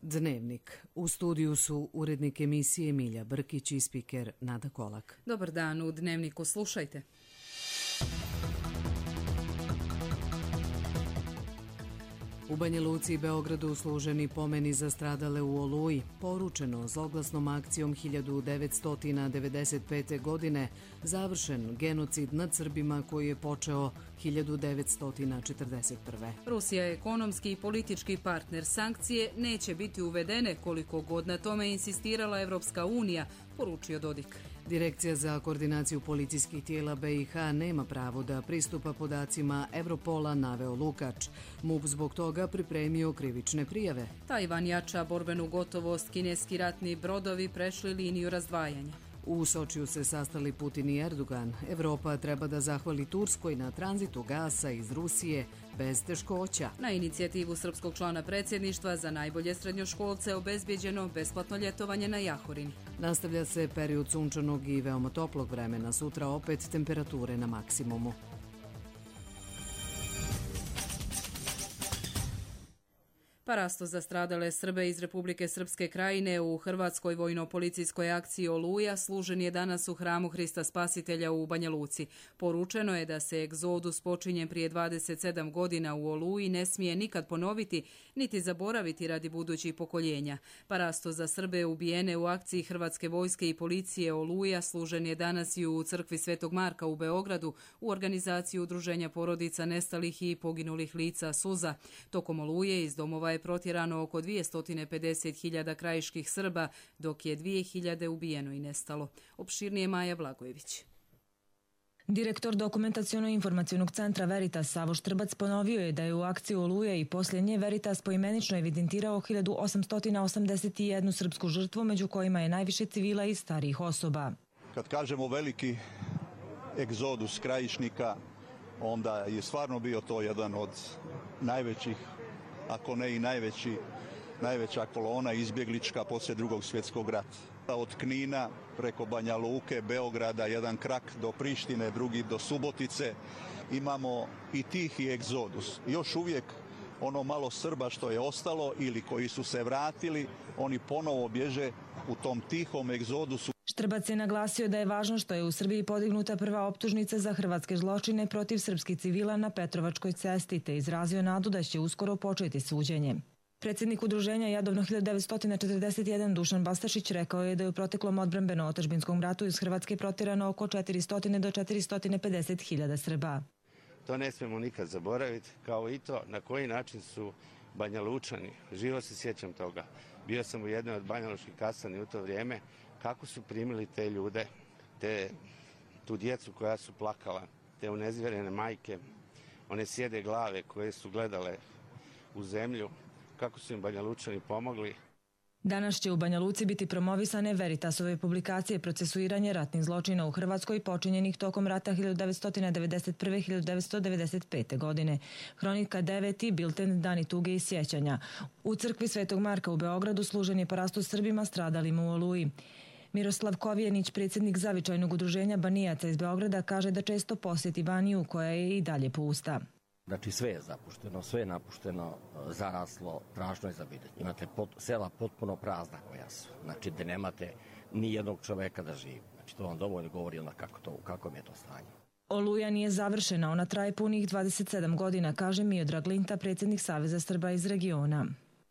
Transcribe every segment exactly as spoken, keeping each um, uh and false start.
Dnevnik. U studiju su urednik emisije Milja Brkić i spiker Nada Kolak. Dobar dan, u Dnevniku slušajte. U Banja Luci i Beogradu služeni pomeni za stradale u Oluji, poručeno zloglasnom akcijom hiljadu devetsto devedeset pete. godine, završen genocid nad Srbima koji je počeo hiljadu devetsto četrdeset prve. Rusija je ekonomski i politički partner. Sankcije neće biti uvedene koliko god na tome insistirala Evropska unija, poručio Dodik. Direkcija za koordinaciju policijskih tijela B i H nema pravo da pristupa podacima Evropola, naveo Lukač. MUP zbog toga pripremio krivične prijave. Tajvan jača borbenu gotovost, kineski ratni brodovi prešli liniju razdvajanja. U Sočiju se sastali Putin i Erdogan. Evropa treba da zahvali Turskoj na tranzitu gasa iz Rusije bez teškoća. Na inicijativu srpskog člana predsjedništva za najbolje srednjoškolce obezbjeđeno besplatno ljetovanje na Jahorini. Nastavlja se period sunčanog i veoma toplog vremena. Sutra opet temperature na maksimumu. Parasto za stradale Srbe iz Republike Srpske Krajine u Hrvatskoj vojno-policijskoj akciji Oluja služen je danas u hramu Hrista Spasitelja u Banja Luci. Poručeno je da se egzodus počinjen prije dvadeset sedam godina u Oluji ne smije nikad ponoviti, niti zaboraviti radi budućih pokoljenja. Parasto za Srbe ubijene u akciji Hrvatske vojske i policije Oluja služen je danas i u crkvi Svetog Marka u Beogradu u organizaciji udruženja porodica nestalih i poginulih lica Suza. Tokom Oluje iz domova je protjerano oko dvjesto pedeset hiljada krajiških Srba, dok je dvije hiljade ubijeno i nestalo. Opširnije Maja Blagojević. Direktor dokumentaciono-informacionog centra Veritas Savo Štrbac ponovio je da je u akciji Oluje i poslije nje Veritas poimenično evidentirao hiljadu osamsto osamdeset jednu srpsku žrtvu, među kojima je najviše civila i starijih osoba. Kad kažemo veliki egzodus krajišnika, onda je stvarno bio to jedan od najvećih, ako ne i najveći, najveća kolona izbjeglička poslije drugog svjetskog rata. Od Knina preko Banja Luke, Beograda, jedan krak do Prištine, drugi do Subotice. Imamo i tihi egzodus. Još uvijek ono malo Srba što je ostalo ili koji su se vratili, oni ponovo bježe u tom tihom egzodusu. Štrbac je naglasio da je važno što je u Srbiji podignuta prva optužnica za hrvatske zločine protiv srpskih civila na Petrovačkoj cesti, te izrazio nadu da će uskoro početi suđenje. Predsjednik udruženja Jadovno hiljadu devetsto četrdeset jedan Dušan Bastašić rekao je da je u proteklom odbrambeno-otadžbinskom ratu iz Hrvatske protjerano oko četiristo do četiristo pedeset hiljada Srba. To ne smijemo nikad zaboraviti, kao i to na koji način su Banja Lučani, živo se sjećam toga. Bio sam u jednoj od Banja Lučkih kasarni u to vrijeme, kako su primili te ljude, te, tu djecu koja su plakala, te unezvjerene majke, one sjede glave koje su gledale u zemlju, kako su im Banja Lučani pomogli. Danas će u Banja Luci biti promovisane Veritasove publikacije procesuiranje ratnih zločina u Hrvatskoj počinjenih tokom rata hiljadu devetsto devedeset prve do hiljadu devetsto devedeset pete. godine. Hronika devet i bilten Dani tuge i sjećanja. U crkvi Svetog Marka u Beogradu služen je parasto Srbima stradalima u Oluji. Miroslav Kovjenić, predsjednik zavičajnog udruženja Banijaca iz Beograda, kaže da često posjeti Baniju koja je i dalje pusta. Znači sve je zapušteno, sve je napušteno, zaraslo, strašno je za vidjeti. Imate pot, sela potpuno prazna koja su, znači da nemate ni jednog čoveka da živi. Znači to vam dovoljno govori onda kako to, u kakvom je to stanje. Oluja nije završena, ona traje punih dvadeset sedam godina, kaže Miodrag Linta, predsjednik Saveza Srba iz regiona.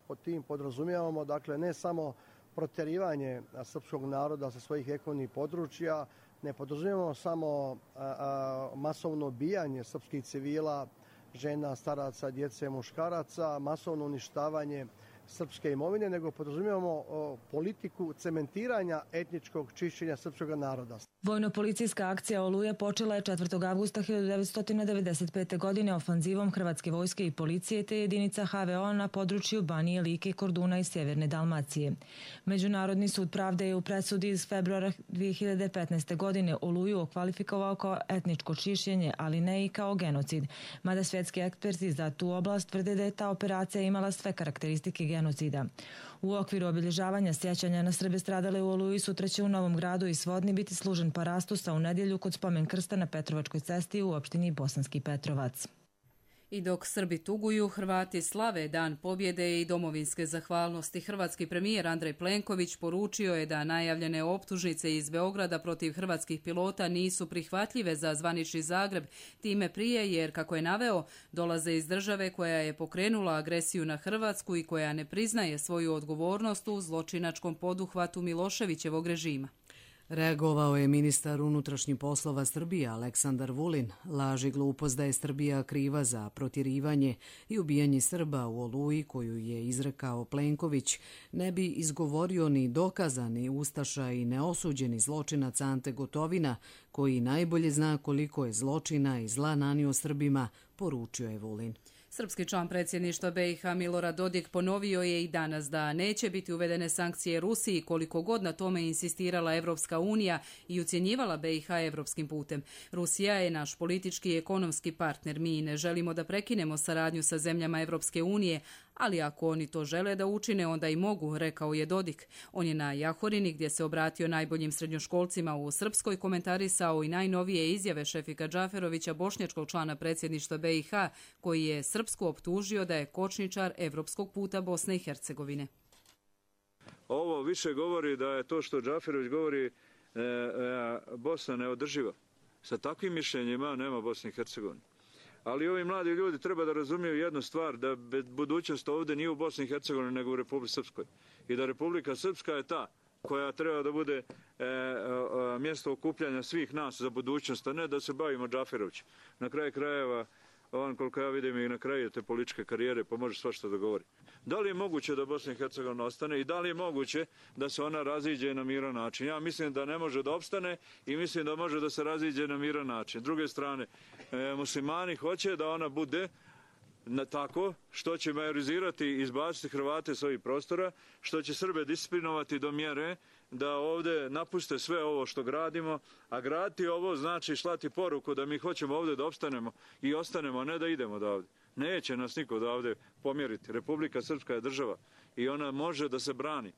Pod tim podrazumijevamo, dakle, ne samo protjerivanje srpskog naroda sa svojih ekonomnih područja, ne podrazumijevamo samo a, a, masovno ubijanje srpskih civila, žena, staraca, djece, muškaraca, masovno uništavanje srpske imovine, nego podrazumijevamo o, politiku cementiranja etničkog čišćenja srpskog naroda. Vojno-policijska akcija Oluja počela je četvrtog avgusta hiljadu devetsto devedeset pete. godine ofanzivom Hrvatske vojske i policije te jedinica H V O na području Banije, Like, Korduna i Sjeverne Dalmacije. Međunarodni sud pravde je u presudi iz februara dvije hiljade petnaeste. godine Oluju okvalifikovao kao etničko čišćenje, ali ne i kao genocid, mada svjetski eksperti za tu oblast tvrde da je ta operacija imala sve karakteristike genocida. U okviru obilježavanja sjećanja na Srbe stradale u Oluji sutra će u Novom Gradu i Svodni biti služen parastusa u nedjelju kod spomen krsta na Petrovačkoj cesti u opštini Bosanski Petrovac. I dok Srbi tuguju, Hrvati slave Dan pobjede i domovinske zahvalnosti. Hrvatski premijer Andrej Plenković poručio je da najavljene optužnice iz Beograda protiv hrvatskih pilota nisu prihvatljive za zvanični Zagreb, time prije jer, kako je naveo, dolaze iz države koja je pokrenula agresiju na Hrvatsku i koja ne priznaje svoju odgovornost u zločinačkom poduhvatu Miloševićevog režima. Reagovao je ministar unutrašnjih poslova Srbije Aleksandar Vulin. Laž i glupost da je Srbija kriva za protjerivanje i ubijanje Srba u Oluji koju je izrekao Plenković ne bi izgovorio ni dokazani ustaša i neosuđeni zločinac Ante Gotovina, koji najbolje zna koliko je zločina i zla nanio Srbima, poručio je Vulin. Srpski član predsjedništva B i H Milorad Dodik ponovio je i danas da neće biti uvedene sankcije Rusiji koliko god na tome insistirala Evropska unija i ucjenjivala B i H evropskim putem. Rusija je naš politički i ekonomski partner. Mi ne želimo da prekinemo saradnju sa zemljama Evropske unije, ali ako oni to žele da učine, onda i mogu, rekao je Dodik. On je na Jahorini, gdje se obratio najboljim srednjoškolcima u Srpskoj, komentarisao i najnovije izjave Šefika Džaferovića, bošnjačkog člana predsjedništva B i H, koji je Srpsku optužio da je kočničar evropskog puta Bosne i Hercegovine. Ovo više govori da je to što Džaferović govori e, e, Bosna neodrživa. Sa takvim mišljenjima nema Bosne i Hercegovine. Ali ovi mladi ljudi treba da razumiju jednu stvar, da budućnost ovdje nije u Bosni i Hercegovini nego u Republici Srpskoj. I da Republika Srpska je ta koja treba da bude e, e, mjesto okupljanja svih nas za budućnost, a ne da se bavimo Džaferovićem. Na kraju krajeva, on koliko ja vidim i na kraju te političke karijere, pa može svašta da govori. Da li je moguće da Bosna i Hercegovina ostane i da li je moguće da se ona raziđe na miran način? Ja mislim da ne može da opstane i mislim da može da se raziđe na miran način. S druge strane, e, muslimani hoće da ona bude na tako što će majorizirati i izbaciti Hrvate s ovih prostora, što će Srbe disciplinovati do mjere da ovdje napuste sve ovo što gradimo, a graditi ovo znači slati poruku da mi hoćemo ovdje da opstanemo i ostanemo, a ne da idemo odavde. Neće nas niko odavde pomjeriti. Republika Srpska je država i ona može da se brani.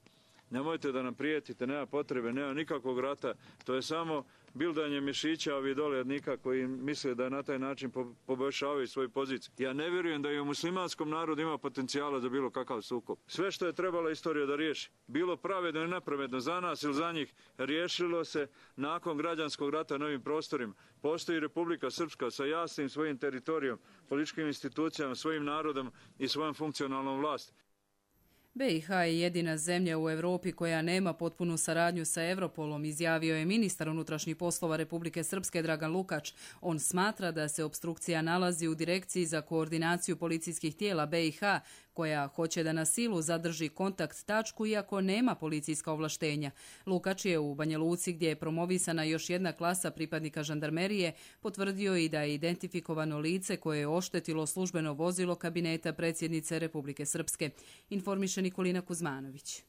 Nemojte da nam prijetite, nema potrebe, nema nikakvog rata. To je samo bildanje mišića ovi dolednika koji misle da na taj način poboljšavaju svoju poziciju. Ja ne vjerujem da i u muslimanskom narodu ima potencijala za bilo kakav sukob. Sve što je trebala istorija da riješi, bilo pravedno i nepravedno za nas ili za njih, riješilo se nakon građanskog rata na ovim prostorima. Postoji Republika Srpska sa jasnim svojim teritorijom, političkim institucijama, svojim narodom i svojom funkcionalnom vlasti. B i H je jedina zemlja u Europi koja nema potpunu saradnju sa Europolom, izjavio je ministar unutrašnjih poslova Republike Srpske Dragan Lukač. On smatra da se opstrukcija nalazi u Direkciji za koordinaciju policijskih tijela B i H, koja hoće da na silu zadrži kontakt tačku iako nema policijska ovlaštenja. Lukač je u Banja Luci, gdje je promovisana još jedna klasa pripadnika žandarmerije, potvrdio i da je identifikovano lice koje je oštetilo službeno vozilo kabineta predsjednice Republike Srpske. Informiše Nikolina Kuzmanović.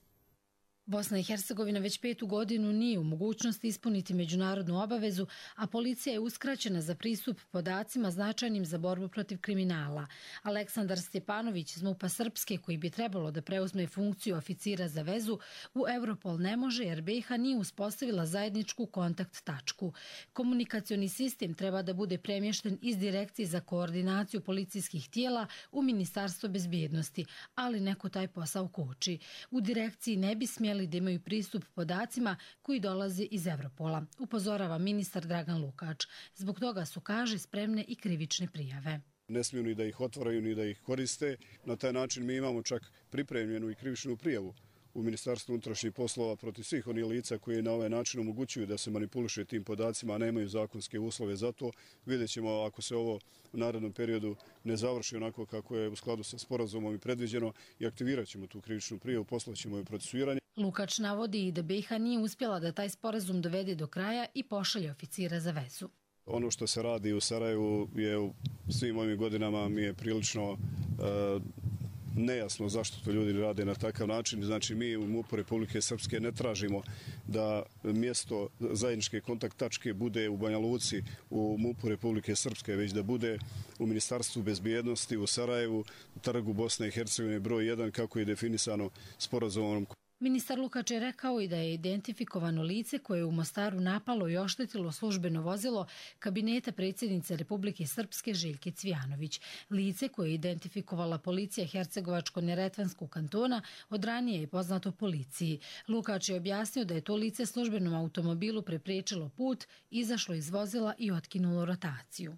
Bosna i Hercegovina već petu godinu nije u mogućnosti ispuniti međunarodnu obavezu, a policija je uskraćena za pristup podacima značajnim za borbu protiv kriminala. Aleksandar Stjepanović iz MUP-a Srpske, koji bi trebalo da preuzme funkciju oficira za vezu, u Europol ne može jer B i H nije uspostavila zajedničku kontakt tačku. Komunikacioni sistem treba da bude premješten iz Direkcije za koordinaciju policijskih tijela u Ministarstvo bezbjednosti, ali neko taj posao koči. U direkciji ne bi smjeli da imaju pristup podacima koji dolaze iz Europola, upozorava ministar Dragan Lukač. Zbog toga su, kaže, spremne i krivične prijave. Ne smiju ni da ih otvaraju, ni da ih koriste. Na taj način mi imamo čak pripremljenu i krivičnu prijavu u Ministarstvu unutrašnjih poslova protiv svih onih lica koji na ovaj način omogućuju da se manipuliše tim podacima, a nemaju zakonske uslove za to. Vidjet ćemo ako se ovo u narednom periodu ne završi onako kako je u skladu sa sporazumom i predviđeno i aktivirat ćemo tu krivičnu prijavu, poslaćemo je procesuiranje. Lukač navodi i da B i H nije uspjela da taj sporazum dovede do kraja i pošalje oficira za vezu. Ono što se radi u Sarajevu je u svim ovim godinama mi je prilično uh, nejasno zašto to ljudi rade na takav način. Znači mi u MUP-u Republike Srpske ne tražimo da mjesto zajedničke kontakt tačke bude u Banja Luci u MUP-u Republike Srpske, već da bude u Ministarstvu bezbjednosti u Sarajevu, u Trgu Bosne i Hercegovine broj jedan kako je definisano sporazumom. Ministar Lukač je rekao i da je identifikovano lice koje je u Mostaru napalo i oštetilo službeno vozilo kabineta predsjednice Republike Srpske Željke Cvijanović. Lice koje je identifikovala policija Hercegovačko-neretvanskog kantona od ranije je poznato policiji. Lukač je objasnio da je to lice službenom automobilu prepriječilo put, izašlo iz vozila i otkinulo rotaciju.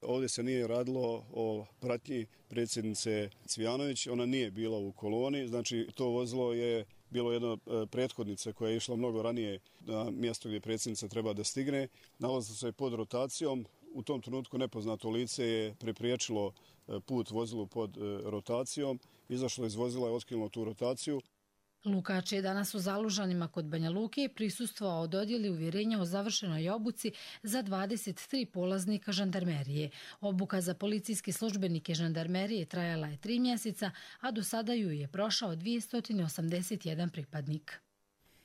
Ovdje se nije radilo o pratnji predsjednice Cvijanović, ona nije bila u koloni, znači to vozilo je bilo jedna prethodnica koja je išla mnogo ranije na mjesto gdje predsjednica treba da stigne. Nalazilo se pod rotacijom, u tom trenutku nepoznato lice je prepriječilo put vozilu pod rotacijom, izašlo iz vozila i otkinulo tu rotaciju. Lukač je danas u Zalužanima kod Banja Luke prisustvovao dodjeli uvjerenja o završenoj obuci za dvadeset tri polaznika žandarmerije. Obuka za policijske službenike žandarmerije trajala je tri mjeseca, a do sada ju je prošao dvjesto osamdeset jedan pripadnik.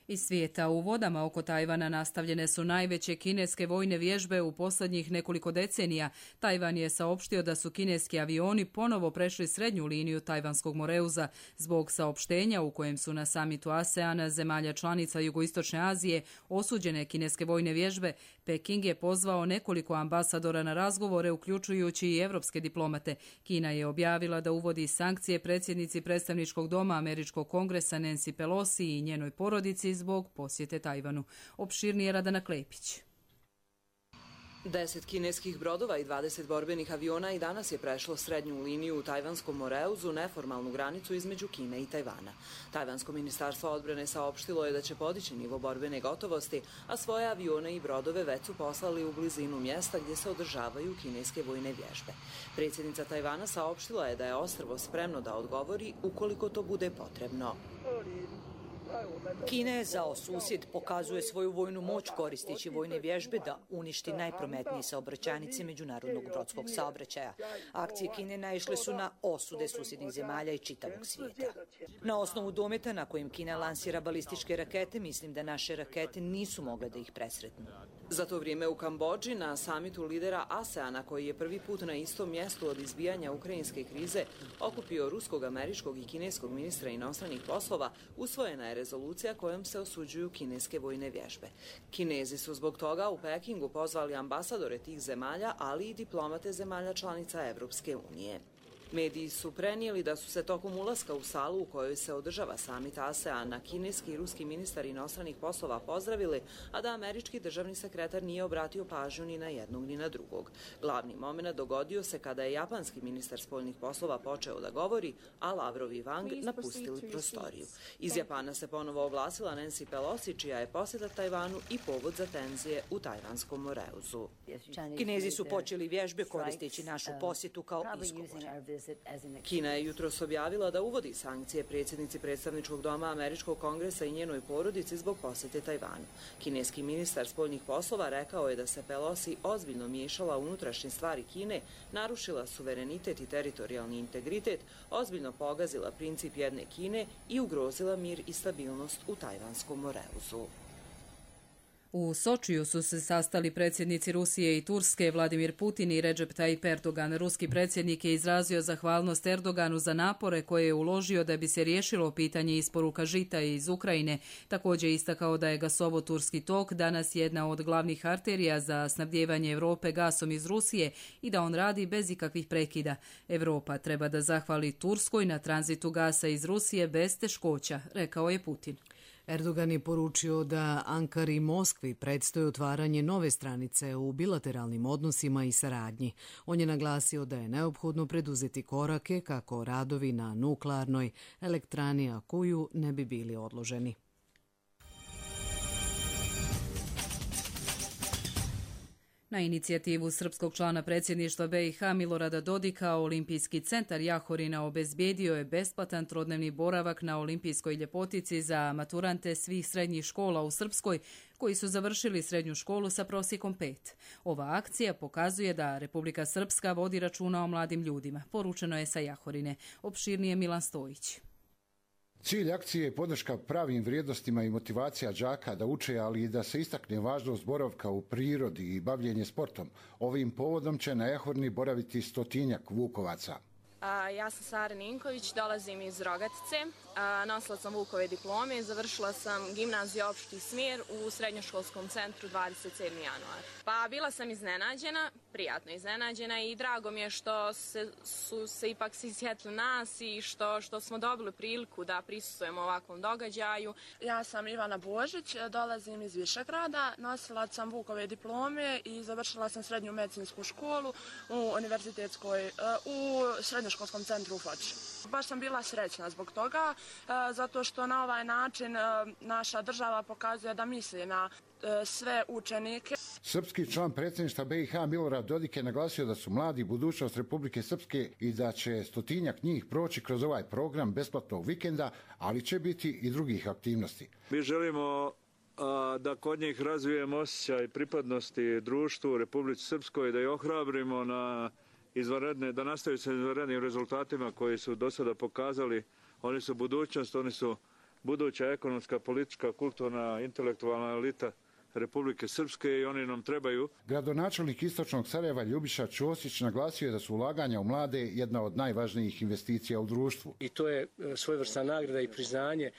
Iz svijeta u vodama oko Tajvana nastavljene su najveće kineske vojne vježbe u posljednjih nekoliko decenija. Tajvan je saopštio da su kineski avioni ponovo prešli srednju liniju Tajvanskog moreuza zbog saopštenja u kojem su na samitu ASEANA zemalja članica Jugoistočne Azije osuđene kineske vojne vježbe. Peking je pozvao nekoliko ambasadora na razgovore, uključujući i evropske diplomate. Kina je objavila da uvodi sankcije predsjednici predstavničkog doma Američkog kongresa Nancy Pelosi i njenoj porodici zbog posjete Tajvanu. Opširnije Radana Klepić. Deset kineskih brodova i dvadeset borbenih aviona i danas je prešlo srednju liniju u Tajvanskom moreuzu, neformalnu granicu između Kine i Tajvana. Tajvansko ministarstvo odbrane saopštilo je da će podići nivo borbene gotovosti, a svoje avione i brodove već su poslali u blizinu mjesta gdje se održavaju kineske vojne vježbe. Predsjednica Tajvana saopštila je da je ostrvo spremno da odgovori ukoliko to bude potrebno. Kina je zao susjed, pokazuje svoju vojnu moć koristeći vojne vježbe da uništi najprometnije saobraćajnice međunarodnog brodskog saobraćaja. Akcije Kine naišle su na osude susjednih zemalja i čitavog svijeta. Na osnovu dometa na kojem Kina lansira balističke rakete, mislim da naše rakete nisu mogle da ih presretnu. Za to vrijeme u Kambodži na samitu lidera ASEANA, koji je prvi put na istom mjestu od izbijanja ukrajinske krize okupio ruskog, američkog i kineskog ministra inostranih poslova, usvojena je rezolucija kojom se osuđuju kineske vojne vježbe. Kinezi su zbog toga u Pekingu pozvali ambasadore tih zemalja, ali i diplomate zemalja članica Evropske unije. Mediji su prenijeli da su se tokom ulaska u salu u kojoj se održava samit ASEANA kineski i ruski ministar inostranih poslova pozdravili, a da američki državni sekretar nije obratio pažnju ni na jednog ni na drugog. Glavni moment dogodio se kada je japanski ministar spoljnih poslova počeo da govori, a Lavrov i Wang napustili prostoriju. Iz Japana se ponovo oglasila Nancy Pelosi, čija je posjeta Tajvanu i povod za tenzije u Tajvanskom moreuzu. Kinezi su počeli vježbe koristeći našu posjetu kao izgovor. Kina je jutros objavila da uvodi sankcije predsjednici predstavničkog doma Američkog kongresa i njenoj porodici zbog posjete Tajvanu. Kineski ministar spoljnih poslova rekao je da se Pelosi ozbiljno miješala u unutrašnje stvari Kine, narušila suverenitet i teritorijalni integritet, ozbiljno pogazila princip jedne Kine i ugrozila mir i stabilnost u Tajvanskom moreuzu. U Sočiju su se sastali predsjednici Rusije i Turske, Vladimir Putin i Recep Tayyip Erdogan. Ruski predsjednik je izrazio zahvalnost Erdoganu za napore koje je uložio da bi se riješilo pitanje isporuka žita iz Ukrajine. Također istakao da je gasovod Turski tok danas jedna od glavnih arterija za snabdijevanje Europe gasom iz Rusije i da on radi bez ikakvih prekida. Europa treba da zahvali Turskoj na tranzitu gasa iz Rusije bez teškoća, rekao je Putin. Erdogan je poručio da Ankari i Moskvi predstoji otvaranje nove stranice u bilateralnim odnosima i saradnji. On je naglasio da je neophodno preduzeti korake kako radovi na nuklearnoj elektrani Akuju ne bi bili odloženi. Na inicijativu srpskog člana predsjedništva B i H Milorada Dodika, Olimpijski centar Jahorina obezbijedio je besplatan trodnevni boravak na olimpijskoj ljepotici za maturante svih srednjih škola u Srpskoj koji su završili srednju školu sa prosjekom pet. Ova akcija pokazuje da Republika Srpska vodi računa o mladim ljudima, poručeno je sa Jahorine. Opširnije Milan Stojić. Cilj akcije je podrška pravim vrijednostima i motivacija đaka da uče, ali i da se istakne važnost boravka u prirodi i bavljenje sportom. Ovim povodom će na Jahorni boraviti stotinjak Vukovaca. A, ja sam Sara Ninković, dolazim iz Rogatice. nosila sam Vukove diplome, završila sam gimnaziju opšti smjer u srednjoškolskom centru dvadeset sedmog januara. Pa bila sam iznenađena, prijatno iznenađena i drago mi je što se, su se ipak svi sjetili nas i što, što smo dobili priliku da prisustvujemo ovakvom događaju. Ja sam Ivana Božić, dolazim iz Višegrada, nosila sam Vukove diplome i završila sam srednju medicinsku školu u univerzitetskoj, u srednjoškolskom centru u Foči. Baš sam bila srećna zbog toga, zato što na ovaj način naša država pokazuje da misli na sve učenike. Srpski član predsjedništva B i H Milorad Dodik je naglasio da su mladi budućnost Republike Srpske i da će stotinjak njih proći kroz ovaj program besplatnog vikenda, ali će biti i drugih aktivnosti. Mi želimo a, da kod njih razvijemo osjećaj pripadnosti društvu Republici Srpskoj, da ih ohrabrimo na izvanredne, da nastavi sa izvanrednim rezultatima koji su do sada pokazali. Oni su budućnost, oni su buduća ekonomska, politička, kulturna, intelektualna elita Republike Srpske i oni nam trebaju. Gradonačelnik Istočnog Sarajeva Ljubiša Ćosić naglasio je da su ulaganja u mlade jedna od najvažnijih investicija u društvu. I to je svojevrsna nagrada i priznanje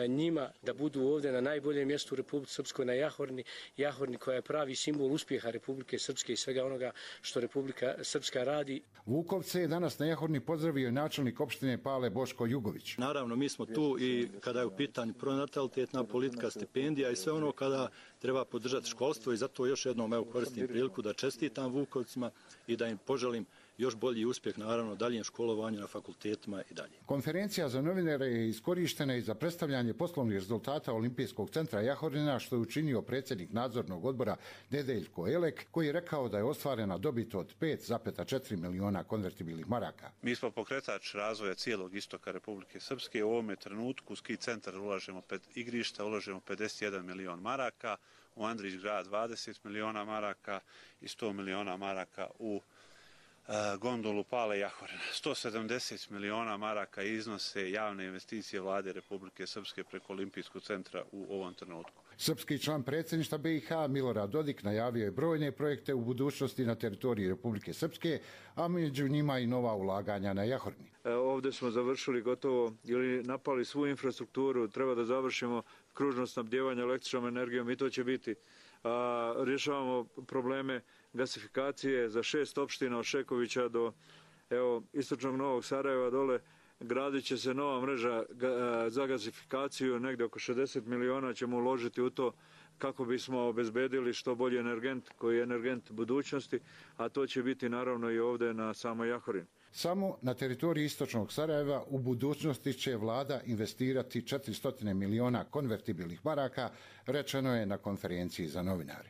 njima da budu ovdje na najboljem mjestu u Republike Srpskoj, na Jahorni, Jahorni koja je pravi simbol uspjeha Republike Srpske i svega onoga što Republika Srpska radi. Vukovce je danas na Jahorni pozdravio i načelnik opštine Pale Boško Jugović. Naravno, mi smo tu i kada je u pitanju pronatalitetna politika, stipendija i sve ono kada treba podržati školstvo i zato još jednom evo koristim priliku da čestitam Vukovcima i da im poželim još bolji uspjeh, naravno, daljem školovanju na fakultetima i dalje. Konferencija za novinare je iskorištena i za predstavljanje poslovnih rezultata Olimpijskog centra Jahorina, što je učinio predsjednik nadzornog odbora Nedeljko Elek, koji je rekao da je ostvarena dobit od pet zarez četiri miliona konvertibilnih maraka. Mi smo pokretač razvoja cijelog istoka Republike Srpske. U ovome trenutku u ski centar ulažemo pet igrišta, ulažemo pedeset jedan milion maraka, u Andrić grad dvadeset miliona maraka i sto miliona maraka u gondolu Pale Jahorina. sto sedamdeset miliona maraka iznose javne investicije vlade Republike Srpske preko Olimpijskog centra u ovom trenutku. Srpski član predsjedništva B i H Milorad Dodik najavio je brojne projekte u budućnosti na teritoriji Republike Srpske, a među njima i nova ulaganja na Jahorni. Ovdje smo završili gotovo ili napali svu infrastrukturu, treba da završimo kružno snabdjevanje električnom energijom i to će biti. A, rješavamo probleme gasifikacije za šest opština od Šekovića do evo, istočnog Novog Sarajeva dole. Gradit će se nova mreža za gasifikaciju, negdje oko šezdeset miliona ćemo uložiti u to kako bismo obezbedili što bolji energent koji je energent budućnosti, a to će biti naravno i ovdje na samoj Jahorini. Samo na teritoriji Istočnog Sarajeva u budućnosti će vlada investirati četiristo miliona konvertibilnih maraka, rečeno je na konferenciji za novinare.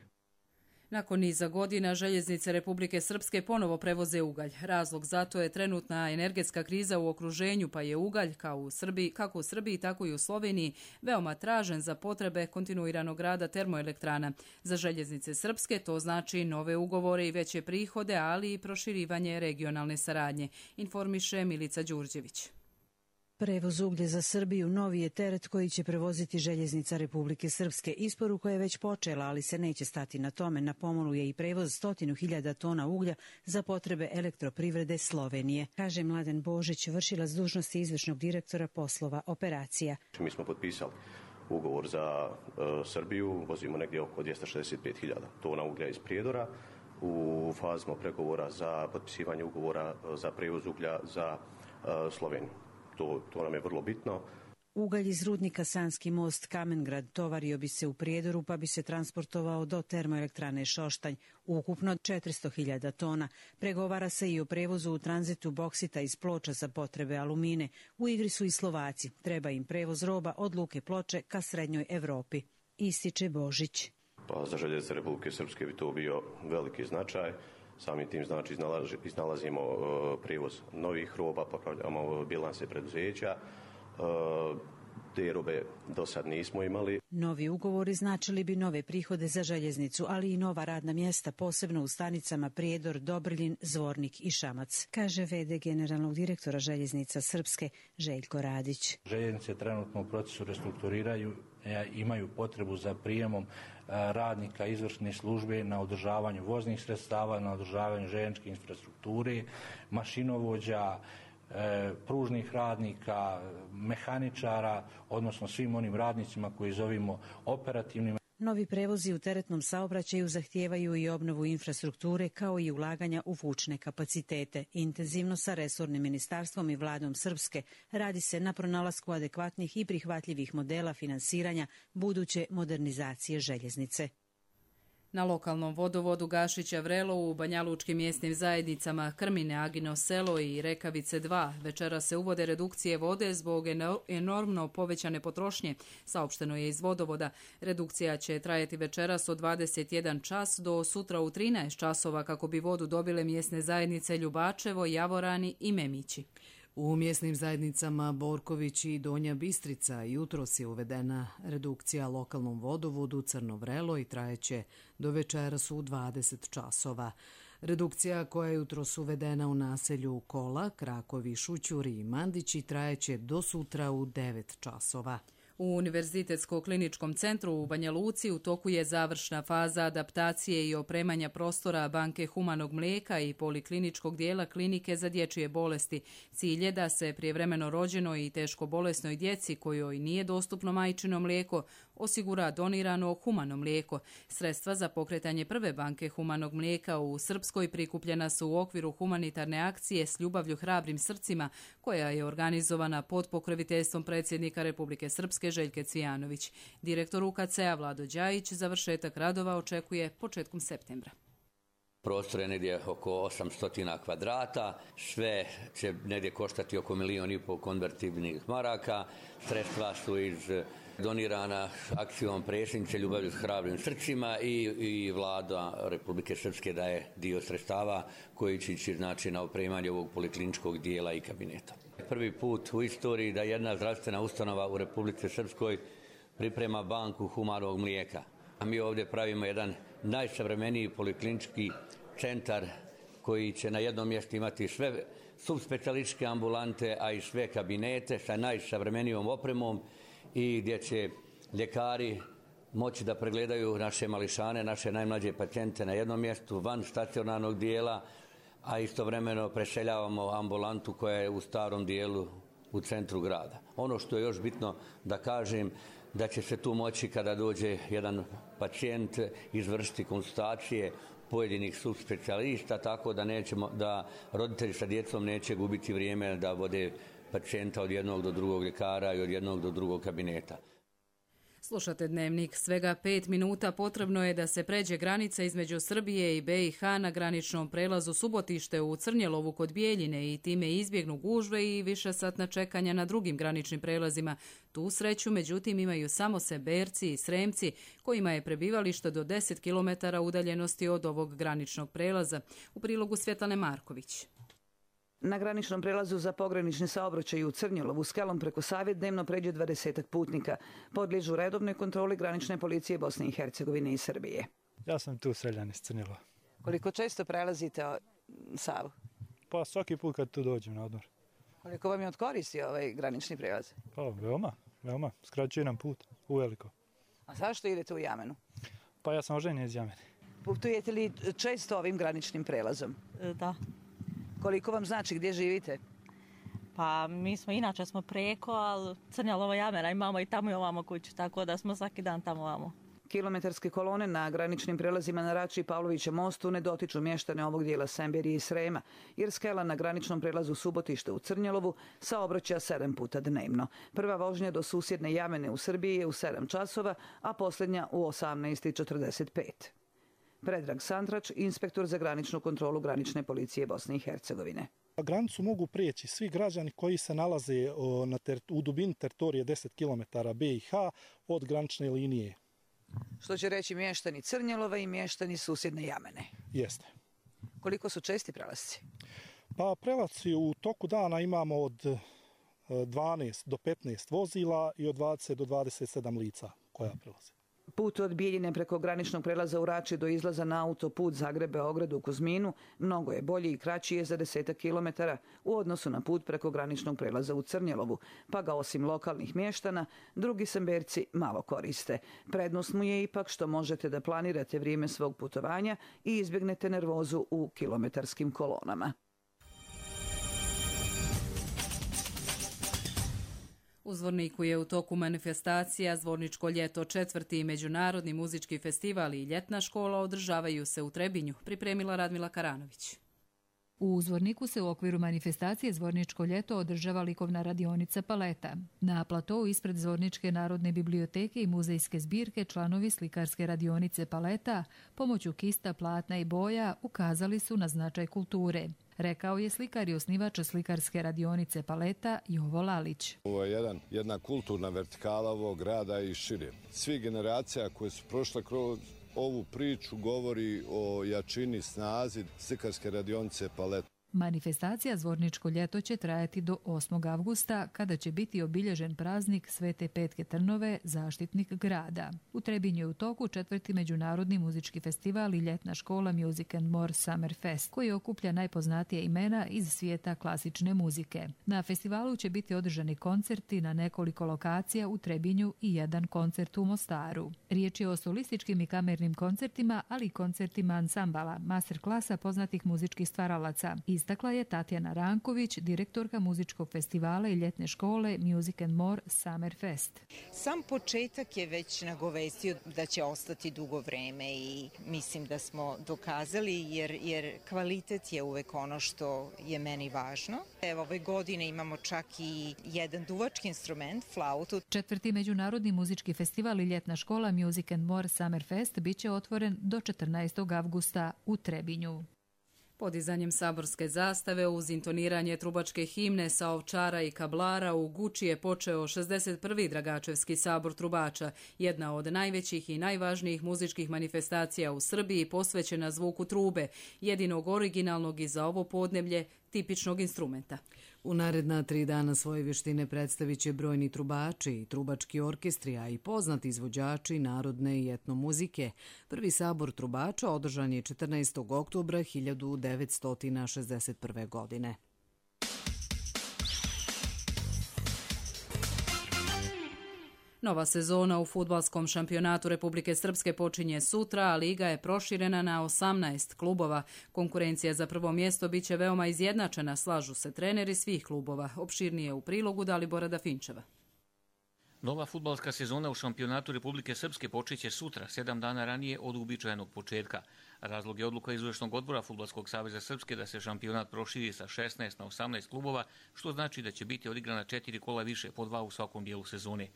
Nakon niza godina željeznice Republike Srpske ponovo prevoze ugalj. Razlog za to je trenutna energetska kriza u okruženju, pa je ugalj kao u Srbiji, kako u Srbiji, tako i u Sloveniji veoma tražen za potrebe kontinuiranog rada termoelektrana. Za željeznice Srpske to znači nove ugovore i veće prihode, ali i proširivanje regionalne saradnje, informiše Milica Đurđević. Prevoz uglja za Srbiju novi je teret koji će prevoziti željeznica Republike Srpske. Isporuka je već počela, ali se neće stati na tome. Na pomolu je i prevoz stotinu hiljada tona uglja za potrebe elektroprivrede Slovenije, kaže Mladen Božić, vršilac dužnosti izvršnog direktora poslova operacija. Mi smo potpisali ugovor za uh, Srbiju, vozimo negdje oko dvjesto šezdeset pet hiljada tona uglja iz Prijedora. U fazi smo pregovora za potpisivanje ugovora za prevoz uglja za uh, Sloveniju. To, to nam je vrlo bitno. Ugalj iz rudnika Sanski most Kamengrad tovario bi se u Prijedoru pa bi se transportovao do termoelektrane Šoštanj, ukupno četiristo hiljada tona. Pregovara se i o prevozu u tranzitu boksita iz Ploča za potrebe alumine. U igri su i Slovaci. Treba im prevoz roba od Luke Ploče ka srednjoj Evropi, ističe Božić. Pa za željeznice Republike Srpske bi to bio veliki značaj. Samim tim znači iznalazi, iznalazimo uh, prijevoz novih roba, popravljamo bilanse preduzeća. Uh, te robe do sad nismo imali. Novi ugovori značili bi nove prihode za željeznicu, ali i nova radna mjesta, posebno u stanicama Prijedor, Dobriljin, Zvornik i Šamac, kaže ve de generalnog direktora željeznica Srpske Željko Radić. Željeznice trenutno u procesu restrukturiraju, imaju potrebu za prijemom radnika izvršne službe na održavanju voznih sredstava, na održavanju željezničke infrastrukture, mašinovođa, pružnih radnika, mehaničara, odnosno svim onim radnicima koji zovimo operativnim. Novi prevozi u teretnom saobraćaju zahtijevaju i obnovu infrastrukture kao i ulaganja u vučne kapacitete. Intenzivno sa resornim ministarstvom i vladom Srpske radi se na pronalasku adekvatnih i prihvatljivih modela finansiranja buduće modernizacije željeznice. Na lokalnom vodovodu Gašića Vrelo u banjalučkim mjesnim zajednicama Krmine, Agino selo i Rekavice dva večera se uvode redukcije vode zbog enormno povećane potrošnje, saopšteno je iz vodovoda. Redukcija će trajati večeras od dvadeset jedan čas do sutra u trinaest časova kako bi vodu dobile mjesne zajednice Ljubačevo, Javorani i Memići. U mjesnim zajednicama Borković i Donja Bistrica jutros je uvedena redukcija lokalnom vodovodu Crno Vrelo i trajeće do večeras u dvadeset časova. Redukcija koja je jutros uvedena u naselju Kola, Krakovi, Šućuri i Mandići trajeće do sutra u devet časova. U Univerzitetsko-kliničkom centru u Banja Luci u toku je završna faza adaptacije i opremanja prostora banke humanog mlijeka i polikliničkog dijela klinike za dječje bolesti. Cilj je da se prijevremeno rođenoj i teško bolesnoj djeci kojoj nije dostupno majčino mlijeko osigura donirano humano mlijeko. Sredstva za pokretanje prve banke humanog mlijeka u Srpskoj prikupljena su u okviru humanitarne akcije S ljubavlju hrabrim srcima koja je organizovana pod pokroviteljstvom predsjednika Republike Srpske Željke Cvijanović. Direktor U K C-a Vlado Đajić završetak radova očekuje početkom septembra. Prostor je negdje oko osamsto kvadrata, sve će negdje koštati oko milijon i pol konvertibilnih maraka. Sredstva su iz donirana akcijom predsjednice Ljubavlju s hrabrim srcima i, i Vlada Republike Srpske daje dio sredstava koji će ići znači, na opremanje ovog polikliničkog dijela i kabineta. Prvi put u istoriji da jedna zdravstvena ustanova u Republike Srpskoj priprema banku humanog mlijeka. A mi ovdje pravimo jedan najsavremeniji poliklinički centar koji će na jednom mjestu imati sve subspecijalističke ambulante, a i sve kabinete sa najsavremenijom opremom i gdje će ljekari moći da pregledaju naše mališane, naše najmlađe pacijente na jednom mjestu van stacionarnog dijela, a istovremeno preseljavamo ambulantu koja je u starom dijelu u centru grada. Ono što je još bitno da kažem, da će se tu moći kada dođe jedan pacijent izvršiti konsultacije pojedinih subspecijalista, tako da, nećemo, da roditelji sa djecom neće gubiti vrijeme da vode pacijenta od jednog do drugog ljekara i od jednog do drugog kabineta. Slušate Dnevnik. Svega pet minuta potrebno je da se pređe granica između Srbije i B i H na graničnom prelazu Subotište u Crnjelovu kod Bijeljine i time izbjegnu gužve i višesatna čekanja na drugim graničnim prelazima. Tu sreću, međutim, imaju samo Seberci i Sremci, kojima je prebivalište do deset kilometara udaljenosti od ovog graničnog prelaza. U prilogu Svjetlane Marković. Na graničnom prelazu za pogranični saobraćaj u Crnjelovu Skelom preko Save dnevno pređe dvadesetak putnika. Podliježu redovnoj kontroli granične policije Bosne i Hercegovine i Srbije. Ja sam tu seljan iz Crnjelova. Koliko često prelazite Savu? Pa svaki put kad tu dođem na odmor. Koliko vam je od koristi ovaj granični prelaz? Pa veoma, veoma. Skraćuje nam put, uveliko. A zašto idete u Jamenu? Pa ja sam oženjen iz Jamene. Putujete li često ovim graničnim prelazom? Da. Koliko vam znači, gdje živite? Pa mi smo, inače smo preko, ali Crnjelova Jamena imamo i tamo i ovamo kuću, tako da smo svaki dan tamo ovamo. Kilometarske kolone na graničnim prelazima na Rači i Pavlovića mostu ne dotiču mještane ovog dijela Semberije i Srema, jer Skela na graničnom prelazu Subotište u Crnjelovu saobraća sedam puta dnevno. Prva vožnja do susjedne Jamene u Srbiji je u sedam časova, a posljednja u osamnaest i četrdeset pet. Predrag Santrač, inspektor za graničnu kontrolu granične policije Bosne i Hercegovine. Granicu mogu prijeći svi građani koji se nalaze na ter, u dubini teritorije deset kilometara B i H od granične linije. Što će reći mještani Crnjelova i mještani susjedne Jamene? Jeste. Koliko su česti prelasci? Pa prelasci u toku dana imamo od dvanaest do petnaest vozila i od dvadeset do dvadeset sedam lica koja prelaze. Put od Bijeljine preko graničnog prelaza u Rači do izlaza na autoput Zagreb-Beograd u Kuzminu mnogo je bolji i kraći je za desetak kilometara u odnosu na put preko graničnog prelaza u Crnjelovu, pa ga osim lokalnih mještana, drugi Semberci malo koriste. Prednost mu je ipak što možete da planirate vrijeme svog putovanja i izbjegnete nervozu u kilometarskim kolonama. U Zvorniku je u toku manifestacija Zvorničko ljeto, četvrti međunarodni muzički festival i ljetna škola održavaju se u Trebinju, pripremila Radmila Karanović. U Zvorniku se u okviru manifestacije Zvorničko ljeto održava likovna radionica Paleta. Na platou ispred Zvorničke narodne biblioteke i muzejske zbirke članovi slikarske radionice Paleta pomoću kista, platna i boja ukazali su na značaj kulture. Rekao je slikar i osnivač slikarske radionice Paleta Jovo Lalić. Ovo je jedan, jedna kulturna vertikala ovog grada i šire. Svi generacija koje su prošle kroz ovu priču govori o jačini, snazi slikarske radionice Paleta. Manifestacija Zvorničko ljeto će trajati do osmog avgusta, kada će biti obilježen praznik Svete Petke Trnove, zaštitnik grada. U Trebinju je u toku četvrti međunarodni muzički festival i ljetna škola Music and More Summer Fest, koji okuplja najpoznatije imena iz svijeta klasične muzike. Na festivalu će biti održani koncerti na nekoliko lokacija u Trebinju i jedan koncert u Mostaru. Riječ je o solističkim i kamernim koncertima, ali i koncertima ansambala, masterklasa poznatih muzičkih stvaralaca. Istakla je Tatjana Ranković, direktorka muzičkog festivala i ljetne škole Music and More Summer Fest. Sam početak je već nagovestio da će ostati dugo vreme i mislim da smo dokazali jer, jer kvalitet je uvek ono što je meni važno. Evo, ove godine imamo čak i jedan duvački instrument, flautu. Četvrti međunarodni muzički festival i ljetna škola Music and More Summer Fest biće otvoren do četrnaestog avgusta u Trebinju. Podizanjem saborske zastave uz intoniranje trubačke himne sa Ovčara i Kablara u Guči je počeo šezdeset prvi Dragačevski sabor trubača, jedna od najvećih i najvažnijih muzičkih manifestacija u Srbiji posvećena zvuku trube, jedinog originalnog i za ovo podneblje tipičnog instrumenta. U naredna tri dana svoje vještine predstavit će brojni trubači i trubački orkestri, a i poznati izvođači narodne i etnomuzike. Prvi sabor trubača održan je četrnaestog oktobra hiljadu devetsto šezdeset prve. godine. Nova sezona u fudbalskom šampionatu Republike Srpske počinje sutra, a liga je proširena na osamnaest klubova. Konkurencija za prvo mjesto biće veoma izjednačena, slažu se treneri svih klubova. Opširnije u prilogu Dalibora Dafinčeva. Nova fudbalska sezona u šampionatu Republike Srpske počeće sutra, sedam dana ranije od uobičajenog početka. Razlog je odluka izvršnog odbora Fudbalskog saveza Srpske da se šampionat proširi sa šesnaest na osamnaest klubova, što znači da će biti odigrana četiri kola više, po dva u svakom dijelu sezone.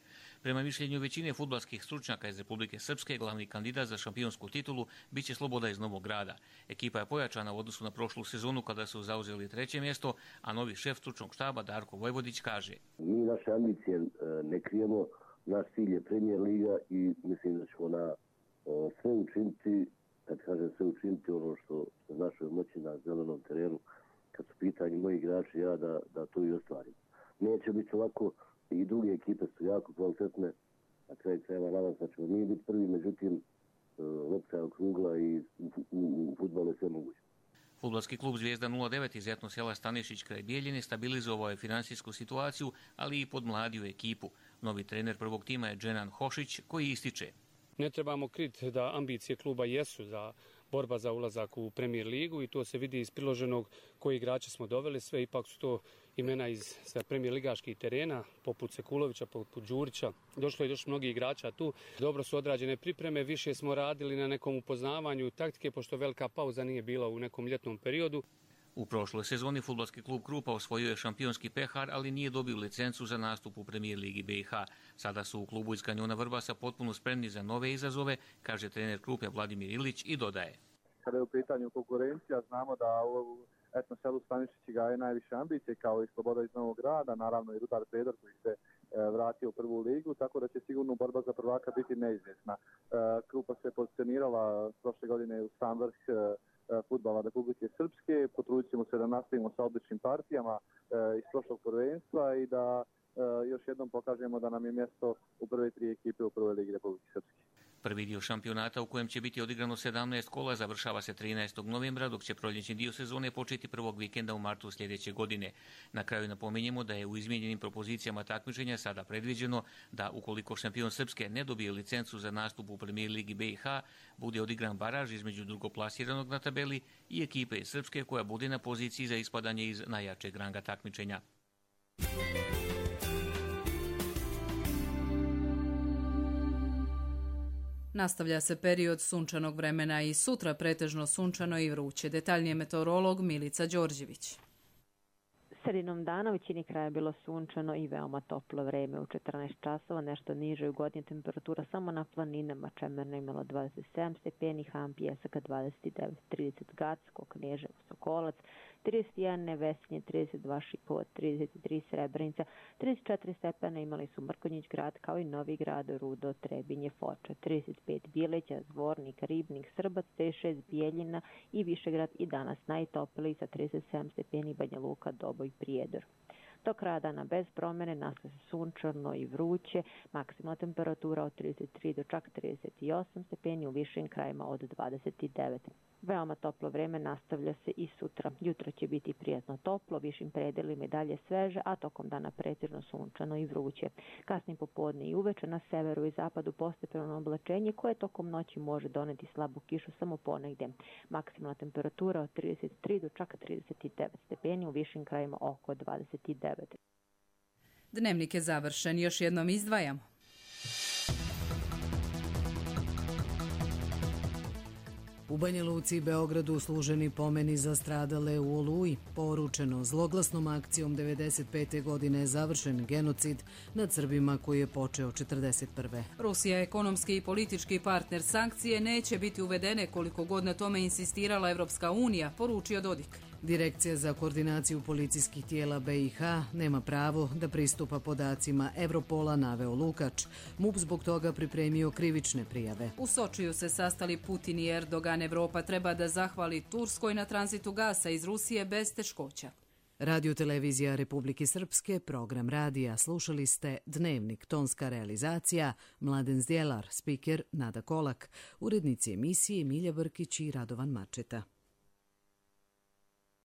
Prema mišljenju većine fudbalskih stručnjaka iz Republike Srpske, glavni kandidat za šampionsku titulu biće Sloboda iz Novog Grada. Ekipa je pojačana u odnosu na prošlu sezonu kada su zauzeli treće mjesto, a novi šef stručnog štaba Darko Vojvodić kaže: Mi naše ambicije ne krijemo, naš cilj je Premier liga i mislim da ćemo na sve učiniti, kad kažem sve učiniti ono što se našoj moći na zelenom terenu, kad su pitanje moji igrači, ja da, da to i ostvarim. Neće biti ovako, i druge ekipe su jako kvalitetne, na kraju krajeva nadam se da ćemo mi biti prvi, međutim lopta je okrugla i u, u, u fudbalu je sve moguće. Fudbalski klub Zvijezda nula devet iz etno sela Stanišić kraj Bijeljine stabilizovao je finansijsku situaciju, ali i podmladio ekipu. Novi trener prvog tima je Dženan Hošić, koji ističe: Ne trebamo kriti da ambicije kluba jesu za borba za ulazak u Premier ligu i to se vidi iz priloženog koji igrače smo doveli. Sve ipak su to imena iz Premier ligaških terena, poput Sekulovića, poput Đurića. Došlo je još mnogi igrača tu. Dobro su odrađene pripreme, više smo radili na nekom upoznavanju taktike, pošto velika pauza nije bila u nekom ljetnom periodu. U prošloj sezoni fudbalski klub Krupa osvojio je šampionski pehar, ali nije dobio licencu za nastup u Premier ligi B i H. Sada su u klubu iz Kanjona Vrbasa potpuno spremni za nove izazove, kaže trener Krupe Vladimir Ilić i dodaje: Kada je u pitanju konkurencija, znamo da u etno selu Stanišići gaje najviše ambicije, kao i Sloboda iz Novog Grada, naravno i Rudar Predor koji se vratio u prvu ligu, tako da će sigurno borba za prvaka biti neizvjesna. Krupa se pozicionirala prošle godine u sam vrh fudbala Republike Srpske, potrudit ćemo se da nastavimo sa odličnim partijama iz prošlog prvenstva i da još jednom pokažemo da nam je mjesto u prve tri ekipe u prvoj ligi Republike Srpske. Prvi dio šampionata u kojem će biti odigrano sedamnaest kola završava se trinaestog novembra, dok će proljećni dio sezone početi prvog vikenda u martu sljedeće godine. Na kraju napominjemo da je u izmijenjenim propozicijama takmičenja sada predviđeno da ukoliko šampion Srpske ne dobije licencu za nastup u Premier ligi B i H, bude odigran baraž između drugoplasiranog na tabeli i ekipe iz Srpske koja bude na poziciji za ispadanje iz najjačeg ranga takmičenja. Nastavlja se period sunčanog vremena i sutra pretežno sunčano i vruće. Detaljnije meteorolog Milica Đorđević. Sredinom dana u većini kraja je bilo sunčano i veoma toplo vreme. U četrnaest časova nešto niže ugodnije temperatura samo na planinama. Čemerno imalo dvadeset sedam stepeni, Ham, Pjesak dvadeset devet, trideset Gacko, Kneževo, Sokolac, trideset jedan Nevesinje, trideset dva Šipova, trideset tri Srebrenica, trideset četiri stepena imali su Mrkonjić grad kao i Novi grad, Rudo, Trebinje, Foča, trideset pet Bileća, Zvornik, Ribnik, Srbac, trideset šest Bijeljina i Višegrad i danas najtopliji sa trideset sedam stepeni Banja Luka, Doboj, Prijedor. Do kraja dana bez promjene, nastaje se sunčano i vruće, maksimalna temperatura od trideset tri do čak trideset osam stepeni, u višim krajima od dvadeset devet. Veoma toplo vreme nastavlja se i sutra. Jutro će biti prijatno toplo, višim predelima i dalje sveže, a tokom dana pretežno sunčano i vruće. Kasnim popodne i uveče na severu i zapadu postepeno oblačenje koje tokom noći može doneti slabu kišu samo ponegdje. Maksimalna temperatura od trideset tri do čak trideset devet stepeni, u višim krajima oko dvadeset devet. Dnevnik je završen, još jednom izdvajamo. U Banja Luci i Beogradu služeni pomeni za stradale u Oluji. Poručeno, zloglasnom akcijom devedeset pete godine je završen genocid nad Srbima koji je počeo četrdeset prve. Rusija, ekonomski i politički partner, sankcije neće biti uvedene koliko god na tome insistirala Evropska unija, poručio Dodik. Direkcija za koordinaciju policijskih tijela B i H nema pravo da pristupa podacima Evropola, naveo Lukač. MUP zbog toga pripremio krivične prijave. U Sočiju se sastali Putin i Erdogan. Evropa treba da zahvali Turskoj na tranzitu gasa iz Rusije bez teškoća. Radio televizija Republike Srpske, program radija. Slušali ste Dnevnik, tonska realizacija, Mladen Zdjelar, spiker Nada Kolak, urednici emisije Milja Brkić i Radovan Mačeta.